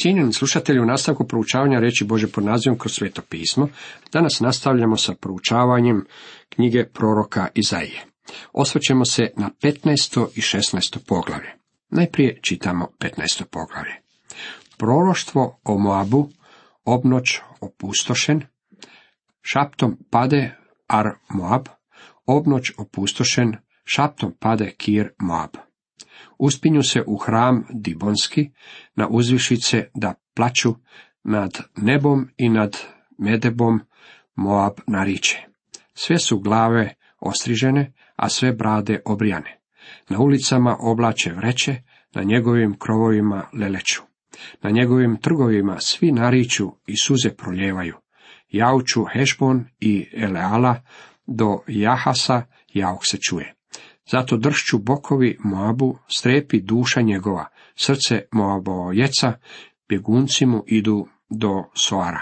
Cijenjeni slušatelji, u nastavku proučavanja riječi Božje pod nazivom Kroz sveto pismo, danas nastavljamo sa proučavanjem knjige proroka Izaije. Osvrćemo se na 15. i 16. poglavlje. Najprije čitamo 15. poglavlje. Proroštvo o Moabu, obnoć opustošen, šaptom pade Ar Moab, obnoć opustošen, šaptom pade Kir Moab. Uspinju se u hram Dibonski, na uzvišice da plaču, nad nebom i nad Medebom Moab nariče. Sve su glave ostrižene, a sve brade obrijane. Na ulicama oblače vreće, na njegovim krovovima leleću. Na njegovim trgovima svi nariču i suze proljevaju. Jauču Hešbon i Eleala, do Jahasa jauk se čuje. Zato dršću bokovi Moabu, strepi duša njegova, srce Moabojeca, bjegunci mu idu do Soara.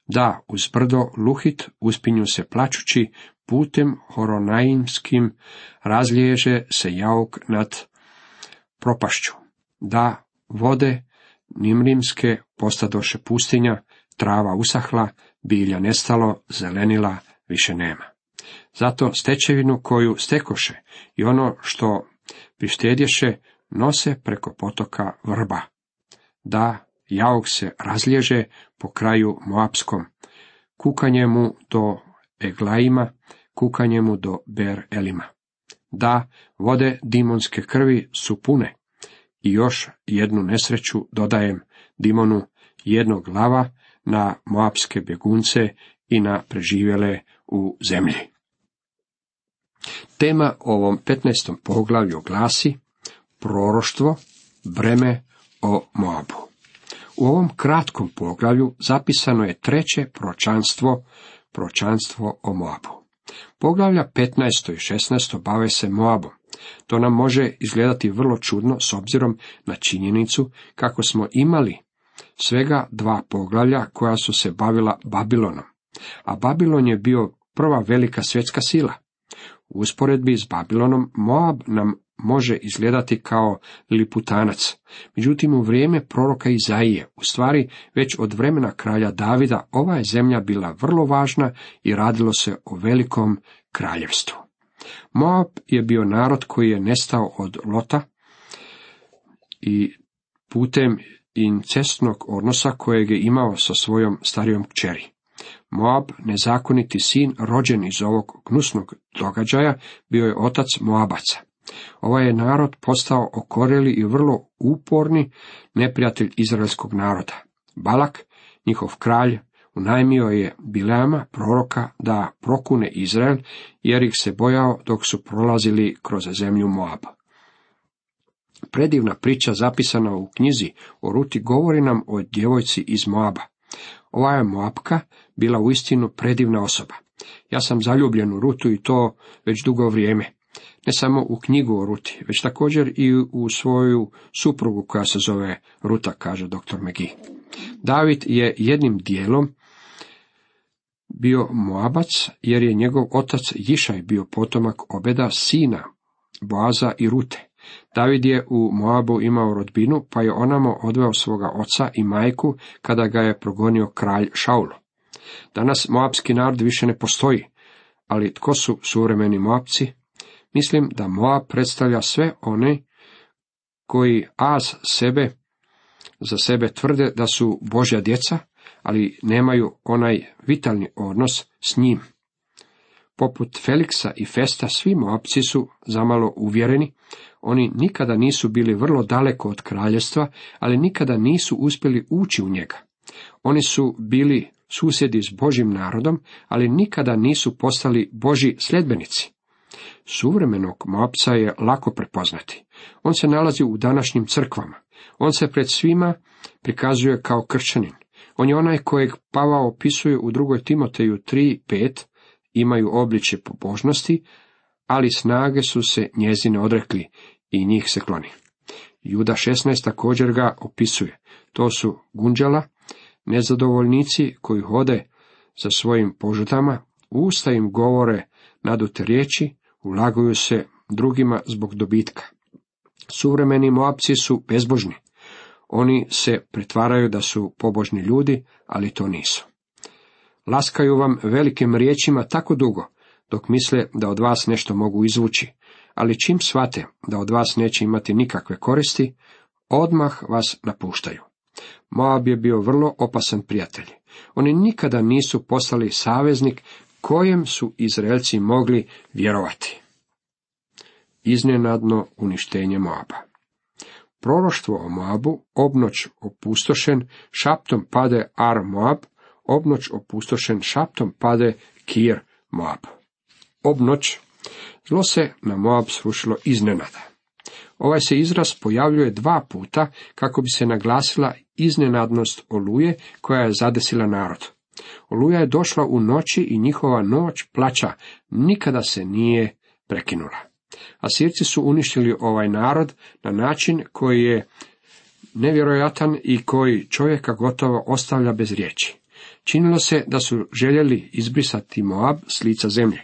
Da, uz brdo Luhit uspinju se plačući, putem horonaimskim razliježe se jauk nad propašću. Da, vode nimrimske postadoše pustinja, trava usahla, bilja nestalo, zelenila više nema. Zato stečevinu koju stekoše i ono što prištedješe nose preko potoka vrba. Da, jauk se razliježe po kraju Moapskom, kukanje mu do Eglaima, kukanje mu do Ber Elima. Da, vode Dimonske krvi su pune. I još jednu nesreću dodajem Dimonu, jednog lava na Moapske bjegunce i na preživjele u zemlji. Tema ovom 15. poglavlju glasi proroštvo, breme o Moabu. U ovom kratkom poglavlju zapisano je treće proročanstvo o Moabu. Poglavlja 15. i 16. bave se Moabom. To nam može izgledati vrlo čudno s obzirom na činjenicu kako smo imali svega 2 poglavlja koja su se bavila Babilonom, a Babilon je bio prva velika svjetska sila. U usporedbi s Babilonom Moab nam može izgledati kao liputanac, međutim u vrijeme proroka Izaije, u stvari već od vremena kralja Davida, ova je zemlja bila vrlo važna i radilo se o velikom kraljevstvu. Moab je bio narod koji je nestao od Lota i putem incestnog odnosa kojeg je imao sa svojom starijom kćeri. Moab, nezakoniti sin, rođen iz ovog gnusnog događaja, bio je otac Moabaca. Ovaj je narod postao okorjeli i vrlo uporni neprijatelj izraelskog naroda. Balak, njihov kralj, unajmio je Bileama, proroka, da prokune Izrael, jer ih se bojao dok su prolazili kroz zemlju Moaba. Predivna priča zapisana u knjizi o Ruti govori nam o djevojci iz Moaba. Ova je Moabka bila uistinu predivna osoba. Ja sam zaljubljen u Rutu i to već dugo vrijeme. Ne samo u knjigu o Ruti, već također i u svoju suprugu koja se zove Ruta, kaže dr. McGee. David je jednim dijelom bio Moabac, jer je njegov otac Jišaj bio potomak Obeda, sina Boaza i Rute. David je u Moabu imao rodbinu, pa je onamo odveo svoga oca i majku kada ga je progonio kralj Šaul. Danas moabski narod više ne postoji, ali tko su suvremeni Moabci? Mislim da Moab predstavlja sve one koji za sebe tvrde da su Božja djeca, ali nemaju onaj vitalni odnos s njim. Poput Feliksa i Festa, svi Moabci su zamalo uvjereni. Oni nikada nisu bili vrlo daleko od kraljevstva, ali nikada nisu uspjeli ući u njega. Oni su bili susjedi s Božjim narodom, ali nikada nisu postali Božji sljedbenici. Suvremenog Moabca je lako prepoznati. On se nalazi u današnjim crkvama. On se pred svima prikazuje kao kršćanin. On je onaj kojeg Pavao opisuje u 2. Timoteju 3:5, imaju obličje pobožnosti, ali snage su se njezine odrekli i njih se kloni. Juda 16 također ga opisuje. To su gunđala, nezadovoljnici koji hode za svojim požudama, usta im govore nadute riječi, ulaguju se drugima zbog dobitka. Suvremeni Moabci su bezbožni. Oni se pretvaraju da su pobožni ljudi, ali to nisu. Laskaju vam velikim riječima tako dugo, dok misle da od vas nešto mogu izvući, ali čim shvate da od vas neće imati nikakve koristi, odmah vas napuštaju. Moab je bio vrlo opasan prijatelj. Oni nikada nisu postali saveznik kojem su Izraelci mogli vjerovati. Iznenadno uništenje Moaba. Proroštvo o Moabu, obnoć opustošen, šaptom pade Ar Moab, obnoć opustošen, šaptom pade Kir Moab. Obnoć, zlo se na Moab srušilo iznenada. Ovaj se izraz pojavljuje 2 puta kako bi se naglasila iznenadnost oluje koja je zadesila narod. Oluja je došla u noći i njihova noć plaća nikada se nije prekinula. Asirci su uništili ovaj narod na način koji je nevjerojatan i koji čovjeka gotovo ostavlja bez riječi. Činilo se da su željeli izbrisati Moab s lica zemlje.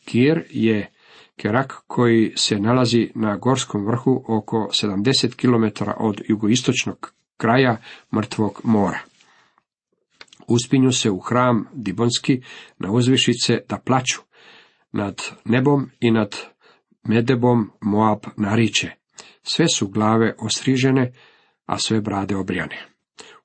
Kir je Kerak koji se nalazi na gorskom vrhu oko 70 km od jugoistočnog kraja Mrtvog mora. Uspinju se u hram Dibonski na uzvišice da plaču. Nad nebom i nad Medebom Moab nariče. Sve su glave ostrižene, a sve brade obrijane.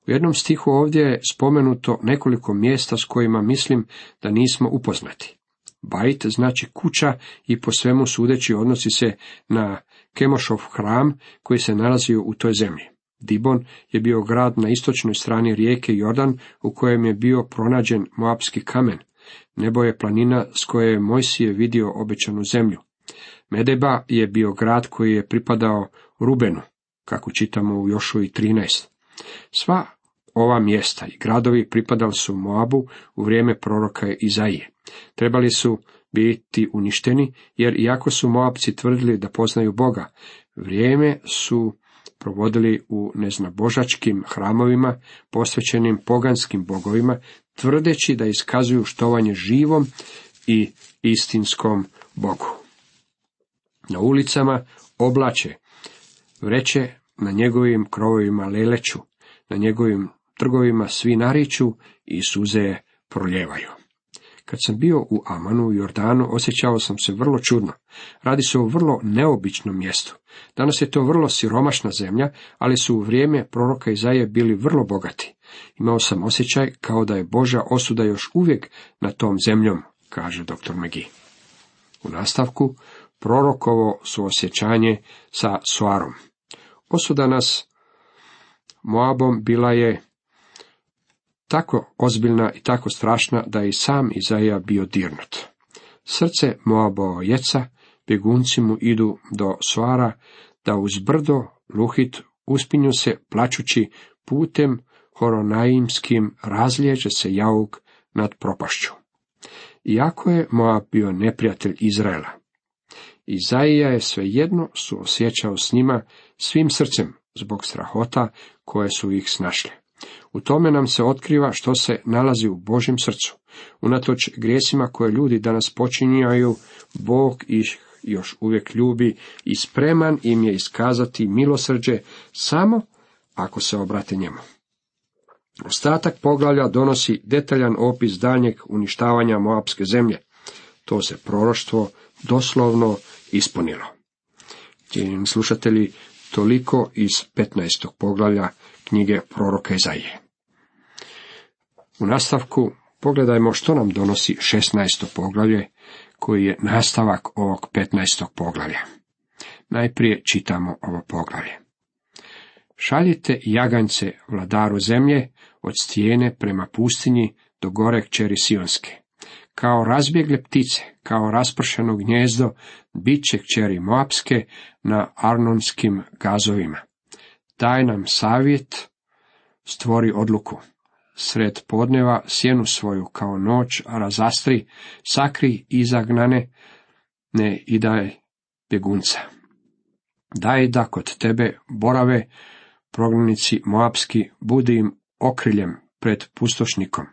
U jednom stihu ovdje je spomenuto nekoliko mjesta s kojima mislim da nismo upoznati. Bajt znači kuća i po svemu sudeći odnosi se na Kemošov hram koji se nalazio u toj zemlji. Dibon je bio grad na istočnoj strani rijeke Jordan u kojem je bio pronađen moapski kamen. Nebo je planina s koje je Mojsije vidio obećanu zemlju. Medeba je bio grad koji je pripadao Rubenu, kako čitamo u Jošuji 13. Sva ova mjesta i gradovi pripadali su Moabu u vrijeme proroka Izaije. Trebali su biti uništeni, jer iako su Moabci tvrdili da poznaju Boga, vrijeme su provodili u neznabožačkim hramovima, posvećenim poganskim bogovima, tvrdeći da iskazuju štovanje živom i istinskom Bogu. Na ulicama oblače vreće, na njegovim krovovima leleću, na njegovim trgovima svi nariču i suze proljevaju. Kad sam bio u Amanu u Jordanu, osjećao sam se vrlo čudno. Radi se o vrlo neobičnom mjestu. Danas je to vrlo siromašna zemlja, ali su u vrijeme proroka Izaije bili vrlo bogati. Imao sam osjećaj kao da je Božja osuda još uvijek na tom zemljom, kaže dr. McGee. U nastavku, prorokovo suosjećanje sa Soarom. Osuda nas Moabom bila je tako ozbiljna i tako strašna da je i sam Izaija bio dirnut. Srce Moabojeca, bjegunci mu idu do Soara, da uz brdo Luhit uspinju se plačući putem horonaimskim razliježe se jauk nad propašću. Iako je Moab bio neprijatelj Izraela, Izaija je svejedno suosjećao s njima svim srcem zbog strahota koje su ih snašle. U tome nam se otkriva što se nalazi u Božjem srcu. Unatoč grijesima koje ljudi danas počinjaju, Bog ih još uvijek ljubi i spreman im je iskazati milosrđe samo ako se obrate njemu. Ostatak poglavlja donosi detaljan opis daljnjeg uništavanja Moabske zemlje. To se proroštvo doslovno ispunilo. Cijenjeni slušatelji, toliko iz 15. poglavlja knjige proroka Izaije. U nastavku pogledajmo što nam donosi 16. poglavlje, koji je nastavak ovog 15. poglavlja. Najprije čitamo ovo poglavlje. Šaljite jaganjce vladaru zemlje od stijene prema pustinji do gore kćeri Sionske. Kao razbjegle ptice, kao raspršeno gnjezdo, bit će kćeri Moapske na arnonskim gazovima. Daj nam savjet, stvori odluku. Sred podneva sjenu svoju kao noć razastri, sakri izagnane, ne i daj bjegunca. Daj da kod tebe borave prognanici Moapski, budi im okriljem pred pustošnikom.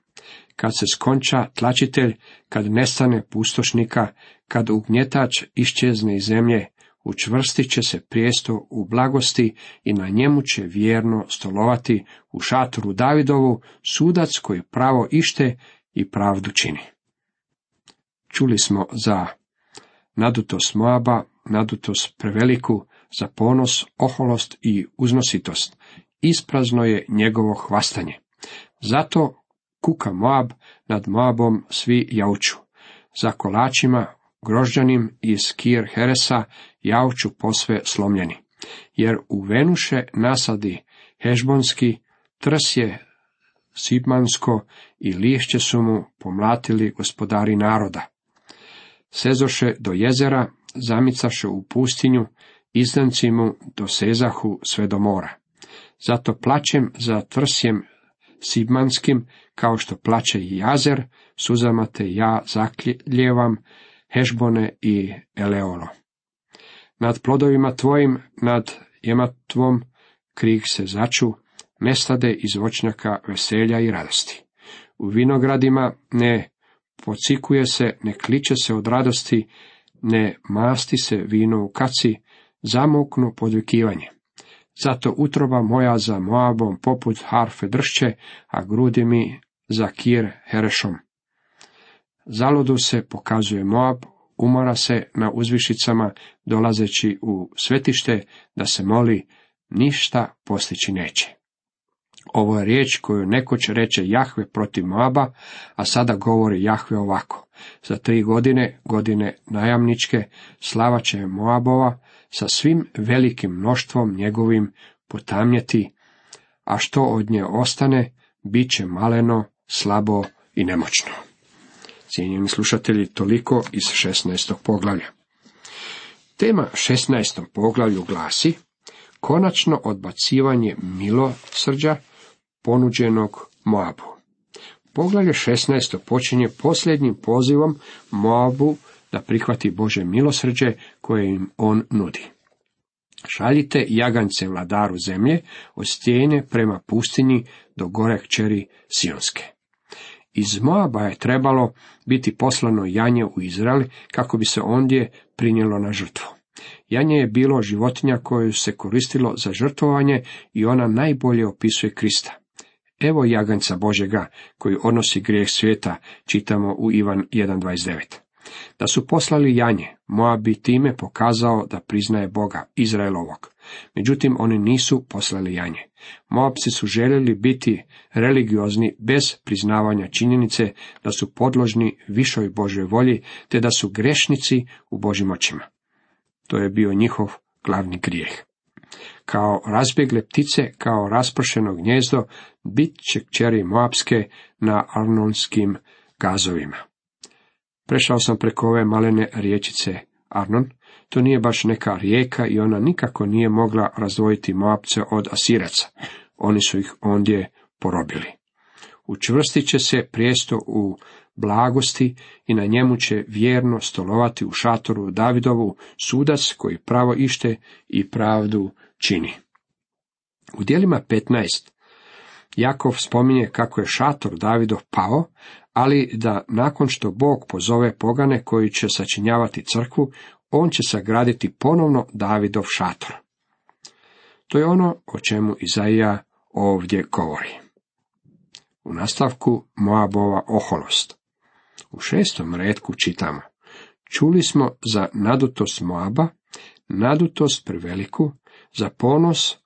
Kad se skonča tlačitelj, kad nestane pustošnika, kad ugnjetač iščezne iz zemlje, učvrstit će se prijesto u blagosti i na njemu će vjerno stolovati u šatoru Davidovu, sudac koji pravo ište i pravdu čini. Čuli smo za nadutost Moaba, nadutost preveliku, za ponos, oholost i uznositost. Isprazno je njegovo hvastanje. Zato kuka Moab, nad Moabom svi jauču. Za kolačima grožđanim iz Kir Heresa jauču posve slomljeni. Jer u Venuše nasadi Hešbonski, trsje Sibmansko i lišće su mu pomlatili gospodari naroda. Sezoše do jezera, zamicaše u pustinju, izdanci mu dosezahu sve do mora. Zato plačem za trsjem Sibmanskim, kao što plače i Jazer, suzama te ja zakljevam, Hešbone i Eleolo. Nad plodovima tvojim, nad jematvom, krik se začu, nestade iz voćnjaka veselja i radosti. U vinogradima ne pocikuje se, ne kliče se od radosti, ne masti se vino u kaci, zamuknu podvikivanje. Zato utroba moja za Moabom poput harfe dršće, a grudi mi za Kir Herešom. Zaludu se pokazuje Moab, umora se na uzvišicama, dolazeći u svetište da se moli, ništa postići neće. Ovo je riječ koju nekoć reče Jahve protiv Moaba, a sada govori Jahve ovako. Za 3 godine, godine najamničke, slava će Moabova sa svim velikim mnoštvom njegovim potamnjeti, a što od nje ostane, bit će maleno, slabo i nemoćno. Cijenjeni slušatelji, toliko iz 16. poglavlja. Tema 16. poglavlju glasi: konačno odbacivanje milosrđa ponuđenog Moabu. Poglavlje 16. počinje posljednjim pozivom Moabu da prihvati Božje milosrđe koje im on nudi. Šaljite jagance vladaru zemlje od stijene prema pustinji do gore kćeri Sionske. Iz Moaba je trebalo biti poslano janje u Izrael kako bi se ondje prinijelo na žrtvu. Janje je bilo životinja koju se koristilo za žrtvovanje i ona najbolje opisuje Krista. Evo jaganjca Božjega koji odnosi grijeh svijeta, čitamo u Ivan 1.29. Da su poslali janje, Moab bi time pokazao da priznaje Boga, Izraelovog. Međutim, oni nisu poslali janje. Moabci su željeli biti religiozni bez priznavanja činjenice da su podložni višoj Božjoj volji, te da su grešnici u Božjim očima. To je bio njihov glavni grijeh. Kao razbjegle ptice, kao raspršeno gnjezdo, bit će kćeri Moabske na Arnonskim gazovima. Prešao sam preko ove malene riječice Arnon. To nije baš neka rijeka i ona nikako nije mogla razdvojiti Moabce od Asiraca. Oni su ih ondje porobili. Učvrstit će se prijesto u blagosti i na njemu će vjerno stolovati u šatoru Davidovu, sudac koji pravo ište i pravdu čini. U djelima 15 Jakov spominje kako je šator Davidov pao, ali da nakon što Bog pozove pogane koji će sačinjavati crkvu, on će sagraditi ponovno Davidov šator. To je ono o čemu Izaija ovdje govori. U nastavku Moabova oholost. U 6. retku čitamo: čuli smo za nadutost Moaba, nadutost preveliku, za ponos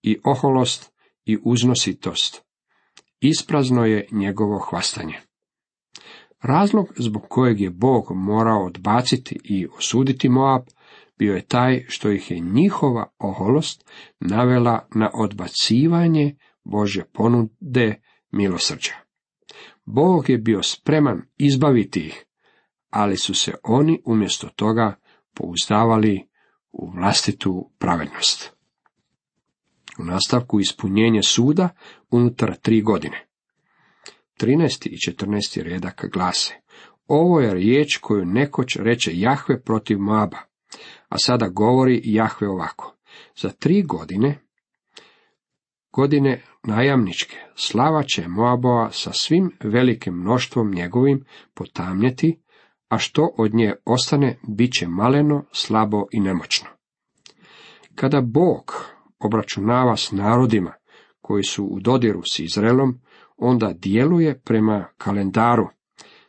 i oholost i uznositost. Isprazno je njegovo hvastanje. Razlog zbog kojeg je Bog morao odbaciti i osuditi Moab bio je taj što ih je njihova oholost navela na odbacivanje Božje ponude milosrđa. Bog je bio spreman izbaviti ih, ali su se oni umjesto toga pouzdavali u vlastitu pravednost. U nastavku ispunjenje suda unutar 3 godine. 13. i 14. redak glase: ovo je riječ koju nekoć reče Jahve protiv Moaba, a sada govori Jahve ovako: za 3 godine, godine najamničke, slava će Moabova sa svim velikim mnoštvom njegovim potamnjeti, a što od nje ostane, bit će maleno, slabo i nemoćno. Kada Bog obračunava s narodima koji su u dodiru s Izraelom, onda djeluje prema kalendaru.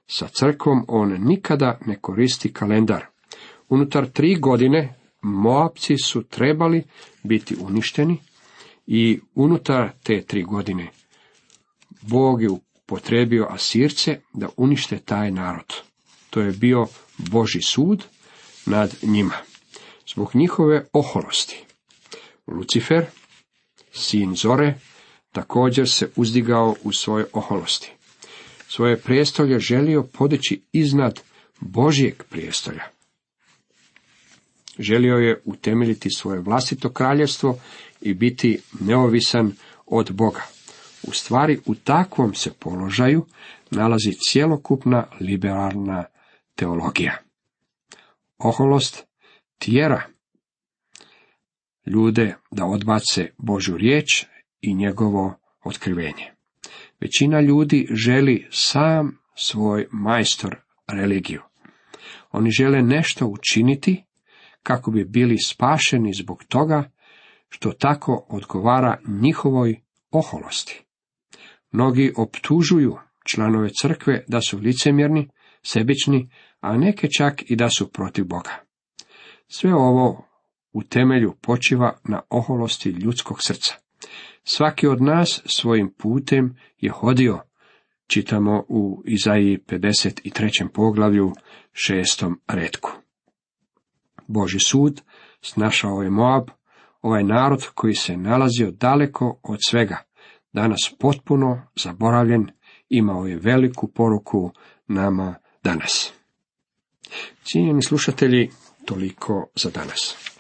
Sa crkvom on nikada ne koristi kalendar. Unutar 3 godine Moabci su trebali biti uništeni i unutar te 3 godine Bog je upotrijebio Asirce da unište taj narod. To je bio Božji sud nad njima. Zbog njihove oholosti. Lucifer, sin Zore, također se uzdigao u svojoj oholosti. Svoje prijestolje želio podići iznad Božjeg prijestolja. Želio je utemeljiti svoje vlastito kraljevstvo i biti neovisan od Boga. U stvari, u takvom se položaju nalazi cjelokupna liberalna teologija. Oholost tjera ljude da odbace Božju riječ i njegovo otkrivenje. Većina ljudi želi sam svoj majstor religiju. Oni žele nešto učiniti kako bi bili spašeni zbog toga što tako odgovara njihovoj oholosti. Mnogi optužuju članove crkve da su licemjerni, sebični, a neke čak i da su protiv Boga. Sve ovo u temelju počiva na oholosti ljudskog srca. Svaki od nas svojim putem je hodio, čitamo u Izaiji 53. poglavlju 6. retku. Božji sud snašao je Moab, ovaj narod koji se nalazio daleko od svega, danas potpuno zaboravljen, imao je veliku poruku nama danas. Cijenjeni slušatelji, toliko za danas.